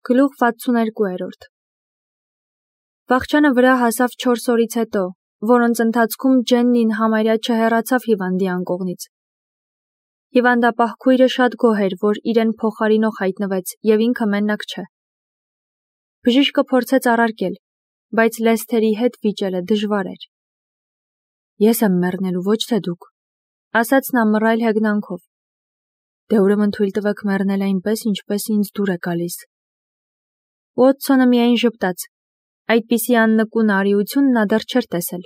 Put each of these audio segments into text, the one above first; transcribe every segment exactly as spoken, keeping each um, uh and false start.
Գլուխ վաթսուներկու Վախճանը վրա հասավ չորս օրից հետո, որոնց ընթացքում Ջեննին համարյա չհեռացավ հիվանդի անկողնից։ Հիվանդապահ քույրը շատ գոհ էր, որ իրեն փոխարինող հայտնվեց և ինքը մենակ չէ։ Բժիշկը փորձեց առարկել, բայց Լեսթերի հետ վիճելը դժվար էր։ Ես եմ մեռնելու, ոչ թե դուք, ասաց նա մռայլ հեգնանքով։ Դե ուրեմն թույլ տվեք մեռնել այնպես, ինչպես ինձ դուր է գալիս։ Ուոտսոնը միայն ժպտաց։ Այդպիսի աննկուն արիություն նա դեռ չէր տեսել։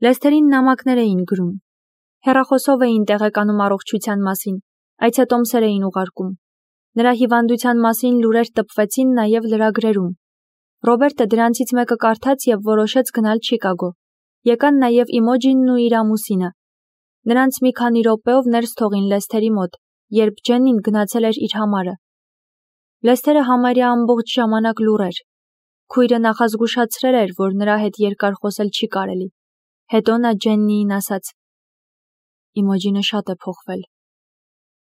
Լեսթերին նամակներ էին գրում։ Հեռախոսով էին տեղեկանում առողջության մասին, այցետոմսեր էին ուղարկում։ Նրա հիվանդության մասին լուրեր տպվեցին նաև լրագրերում։ Ռոբերտը դրանցից մեկը կարդաց և որոշեց գնալ Չիկագո։ Եկան նաև Իմոջինն ու իր ամուսինը։ Նրանց մի քանի րոպեով ներս թողին Լեսթերի մոտ, երբ Ջեննին գնացել էր իր համարը։ Լեսթերը համարյա ամբողջ ժամանակ լուռ էր։ Քույրը նախազգուշացրել էր, որ նրա հետ երկար խոսել չի կարելի։ Հետո նա Ջեննիին ասաց. Իմոջինը շատ է փոխվել։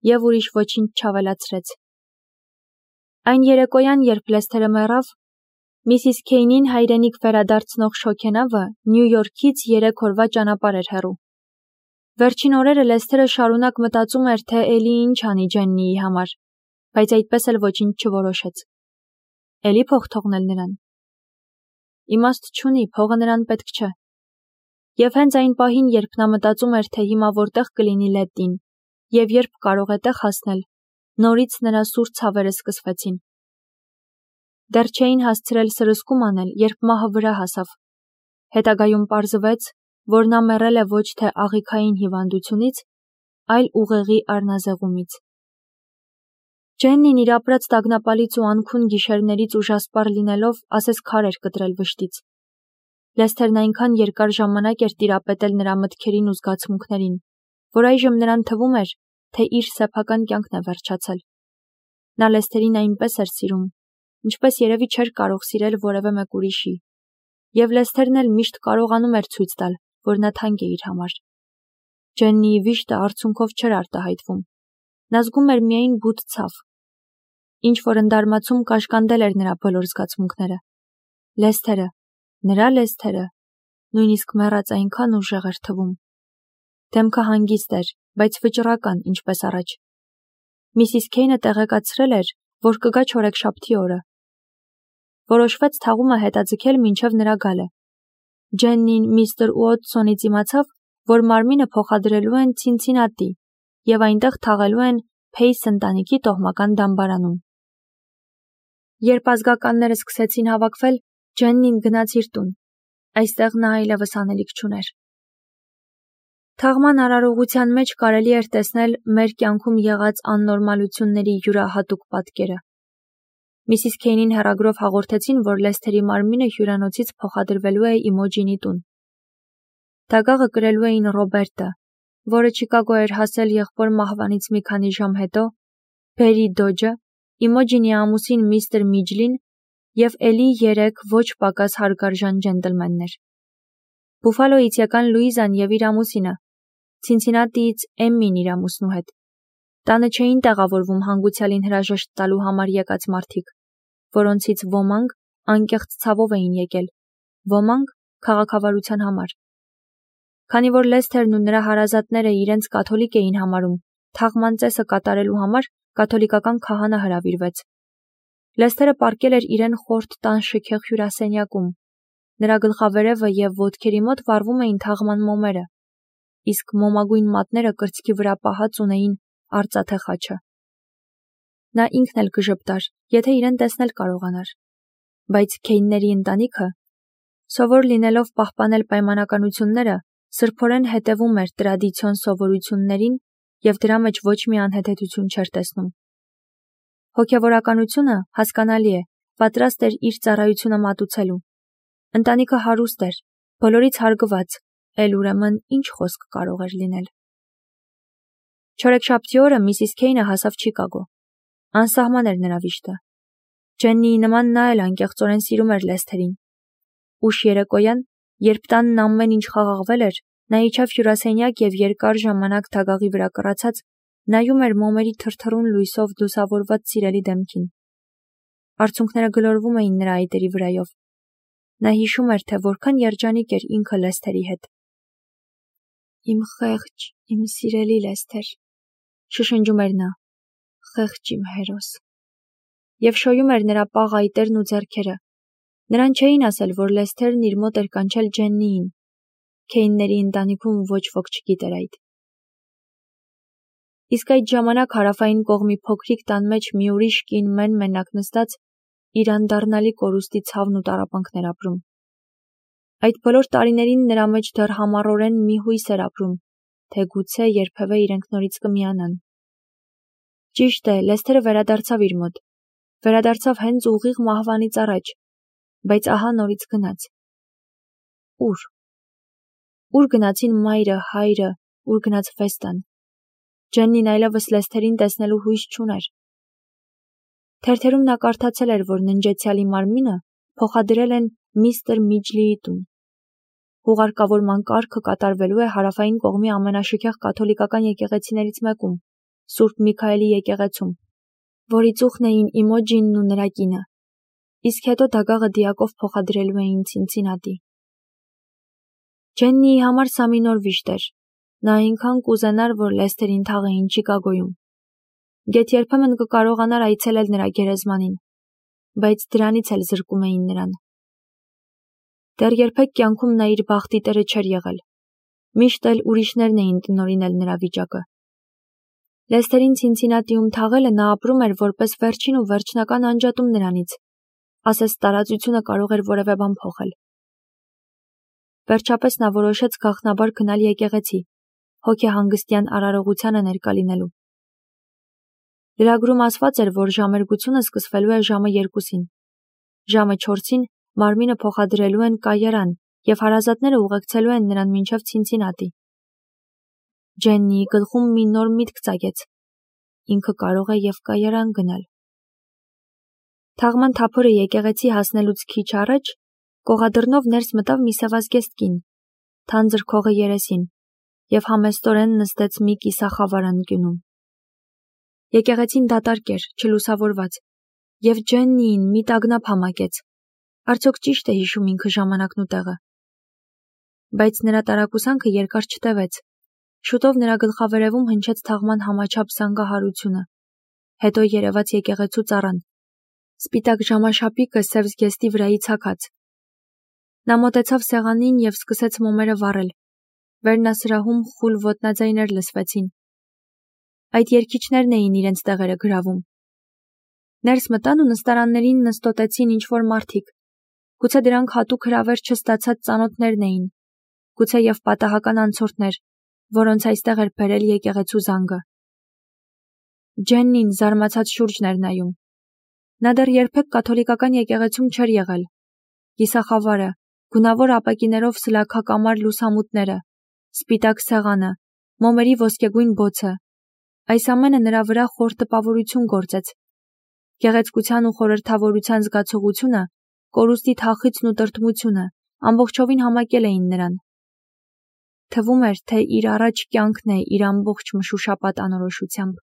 Եվ ուրիշ ոչինչ չավելացրեց։ Այն երեկոյան, երբ Լեսթերը մեռավ, Միսիս Քեյնին հայրենիք վերադարձնող շոգենավը Նյու Յորքից երեք օրվա ճանապարհ էր հեռու։ Վերջին օրերը Լեսթերը շարունակ մտածում էր, թե էլի ինչ անի Ջեննիի համար, բայց այդպես էլ ոչինչ չորոշեց։ Էլի փող թողնել նրան։ Իմաստ չունի, փողը նրան պետք չէ։ Եվ հենց այն պահին, երբ նա մտածում էր, թե հիմա որտեղ կլինի Լետտին, և երբ կարող է տեղ հասնել, նորից նրա սուր ցավերը սկսվեցին։ Դեռ չէին հասցրել սրսկում անել, երբ մահը վրա հասավ։ Հետագայում պարզվեց, որ նա մեռել է ոչ թե աղիքային հիվանդությունից, այլ ուղեղի առնազեղումից։ Ջեննին իր ապրած տագնապալից ու անքուն գիշերներից ուժասպառ լինելով ասես քար էր կտրել վշտից։ Լեսթերն այնքան երկար ժամանակ էր տիրապետել նրա մտքերին ու զգացմունքներին, որ այժմ նրան թվում էր, թե իր սեփական կյանքն է վերջացել։ Նա Լեսթերին այնպես էր սիրում, ինչպես երևի չէր կարող սիրել որևէ մեկ ուրիշի, և Լեսթերն էլ միշտ կարողանում էր ցույց տալ, որ նա թանկ է իր համար։ Ջեննիի վիշտը արցունքով չէր արտահայտվում։ Նա զգում էր միայն բութ ցավ։ Ինչ-որ ընդարմացում կաշկանդել էր նրա բոլոր զգացմունքները։ Լեսթերը, նրա Լեսթերը, նույնիսկ մեռած այնքան ուժեղ էր թվում։ Դեմքը հանգիստ էր, բայց վճռական, ինչպես առաջ։ Միսիս Քեյնը տեղեկացրել էր, որ կգա չորեքշաբթի օրը։ Որոշվեց թաղումը հետաձգել մինչև նրա գալը։ Ջեննին միստր Ուոտսոնից իմացավ, որ մարմինը փոխադրելու են Ցինցինատի և այնտեղ թաղելու են Փեյս ընտանիքի տոհմական դամբարանում։ Երբ ազգականները սկսեցին հավաքվել, Ջեննին գնաց իր տուն։ Այստեղ նա այլևս անելիք չուներ։ Թաղման արարողության մեջ կարելի էր տեսնել մեր կյանքում եղած աննորմալությունների յուրահատուկ պատկերը։ Միսիս Քեյնին հեռագրով հաղորդեցին, որ Լեսթերի մարմինը հյուրանոցից փոխադրվելու է Իմոջինի տուն։ Դագաղը կրելու էին Ռոբերտը, որը Չիկագո էր հասել եղբոր մահվանից մի քանի ժամ հետո, Բերի Դոջը, Իմոջինի ամուսին միստր Միջլին և էլի երեք ոչ պակաս հարգարժան ջենտլմեններ։ Բուֆալոյից եկան Լուիզան և իր ամուսինը, Ցինցինատիից Էմմին իր ամուսնու հետ։ Տանը չէին տեղավորվում հանգուցյալին հրաժեշտ տալու համար եկած մարդիկ, որոնցից ոմանք անկեղծ ցավով էին եկել, ոմանք քաղաքավարության համար։ Քանի որ Լեսթերն ու նրա հարազատները իրենց կաթոլիկ էին համարում, թաղման ծեսը կատարելու համար կաթոլիկական քահանա հրավիրվեց։ Լեսթերը պառկել էր իրեն խորթ տան շքեղ հյուրասենյակում։ Նրա գլխավերևը և ոտքերի մոտ վառվում էին թաղման մոմերը, իսկ մոմագույն մատները կրծքի վրա պահած ունեին արծաթե խաչը։ Նա ինքն էլ կժպտար, եթե իրեն տեսնել կարողանար։ Բայց Քեյնների ընտանիքը, սովոր լինելով պահպանել պայմանականությունները, սրբորեն հետևում էր տրադիցիոն սովորույթներին և դրա մեջ ոչ մի անհեթեթություն չէր տեսնում։ Հոգևորականությունը, հասկանալի է, պատրաստ էր իր ծառայությունը մատուցելու։ Ընտանիքը հարուստ էր, բոլորից հարգված, էլ ուրեմն ինչ խոսք կարող էր լինել։ Չորեքշաբթի օրը Միսիս Քեյնը հասավ Չիկագո։ Անսահման էր նրա վիշտը։ Ջեննիի նման նա էլ անկեղծորեն սիրում էր Լեսթերին։ Ուշ երեկոյան, երբ տանն ամեն ինչ խաղաղվել էր, նա իջավ հյուրասենյակ և երկար ժամանակ դագաղի վրա կռացած նայում էր մոմերի թրթռուն լույսով լուսավորված սիրելի դեմքին։ Արցունքները գլորվում էին նրա այտերի վրայով։ Նա հիշում էր, թե որքան երջանիկ էր ինքը Լեսթերի հետ։ Իմ խեղճ, իմ սիրելի Լեսթեր, շշնջում էր նա, խեղճ իմ հերոս։ Եվ շոյում էր նրա պաղ այտերն ու ձեռքերը։ Նրան չէին ասել, որ Լեսթերն իր մոտ էր կանչել Ջեննիին։ Քեյնների ընտանիքում ոչ ոք չգիտեր այդ։ Իսկ այդ ժամանակ հարավային կողմի փոքրիկ տան մեջ մի ուրիշ կին մեն-մենակ նստած իր անդառնալի կորուստի ցավն ու տառապանքն էր ապրում։ Այդ բոլոր տարիներին նրա մեջ դեռ համառորեն մի հույս էր ապրում, թե գուցե երբևէ իրենք նորից կմիանան։ Ճիշտ է, Լեսթերը վերադարձավ իր մոտ, վերադարձավ հենց ուղիղ մահվանից առաջ, բայց ահա նորից գնաց։ Ուր։ Ուր գնացին մայրը, հայրը, ուր գնաց Վեստան։ Ջեննին այլևս Լեսթերին տեսնելու հույս չուներ։ Թերթերում նա կարդացել էր, որ ննջեցյալի մարմինը փոխադրել են միստր Միջլիի տուն։ Հուղարկավորման կարգը կատարվելու է հարավային կողմի ամենաշքեղ կաթոլիկական եկեղեցիներից մեկում, Սուրբ Միքայելի եկեղեցում, որի ծուխն էին Իմոջինն ու նրա կինը, իսկ հետո դագաղը դիակով փոխադրելու էին Ցինցինատի։ Ջեննիի համար սա մի նոր վիշտ էր։ Նա այնքան կուզենար, որ Լեսթերին թաղեին Չիկագոյում։ Գեթ երբեմն կկարողանար այցելել նրա գերեզմանին, բայց դրանից էլ զրկում էին նրան։ Դեռ երբեք կյանքում նա իր բախտի տերը չէր եղել։ Միշտ էլ ուրիշներն էին տնօրինել նրա վիճակը։ Լեսթերին Ցինցինատիում թաղելը նա ապրում էր որպես վերջին ու վերջնական անջատում նրանից, ասես տարածությունը կարող էր որևէ բան փոխել։ Վերջապես նա որոշեց գաղտնաբար գնալ եկեղեցի, հոգեհանգստյան արարողությանը ներկա լինելու։ Լրագրում ասված էր, որ ժամերգությունը սկսվելու է ժամը երկուսին։ Ժամը չորսին մարմինը փոխադրելու են կայարան և հարազատները ուղեկցելու են նրան մինչև Ցինցինատի։ Ջեննիի գլխում մի նոր միտք ծագեց։ Ինքը կարող է և կայարան գնալ։ Թաղման թափորը եկեղեցի հասնելուց քիչ առաջ կողադռնով ներս մտավ մի սևազգեստ կին, թանձր քողը երեսին, և համեստորեն նստեց մի կիսախավար անկյունում։ Եկեղեցին դատարկ էր, չլուսավորված, և Ջեննիին մի տագնապ համակեց։ Արդյոք ճիշտ է հիշում ինքը ժամանակն ու տեղը։ Բայց նրա տարակուսանքը երկար չտևեց։ Շուտով նրա գլխավերևում հնչեց թաղման համաչափ զանգահարությունը։ Հետո երևաց եկեղեցու ծառան։ Սպիտակ ժամաշապիկը սև զգեստի վրայից հագած։ Նա մոտեցավ սեղանին և սկսեց մոմերը վառել։ Վերնասրահում խուլ ոտնաձայներ լսվեցին։ Այդ երգիչներն էին իրենց տեղերը գրավում։ Ներս մտան ու նստարաններին նստոտեցին ինչ-որ մարդիկ։ Գուցե դրանք հատուկ հրավեր չստացած ծանոթներն էին, գուցե և պատահական անցորդներ, որոնց այստեղ էր բերել եկեղեցու զանգը։ Ջեննին զարմացած շուրջն էր նայում։ Նա դեռ երբեք կաթոլիկական եկեղեցում չէր եղել։ Կիսախավարը, գունավոր ապակիներով սլաքակամար լուսամուտները, սպիտակ սեղանը, մոմերի ոսկեգույն բոցը, այս ամենը նրա վրա խոր տպավորություն գործեց։ Գեղեցկության ու խորհրդավորության զգացողությունը, կորուստի թախիծն ու տրտմությունը ամբողջովին համակել էին նրան։ Թվում էր, թե իր առաջ կյանքն է իր ամբողջ մշուշապատ անորոշությամբ։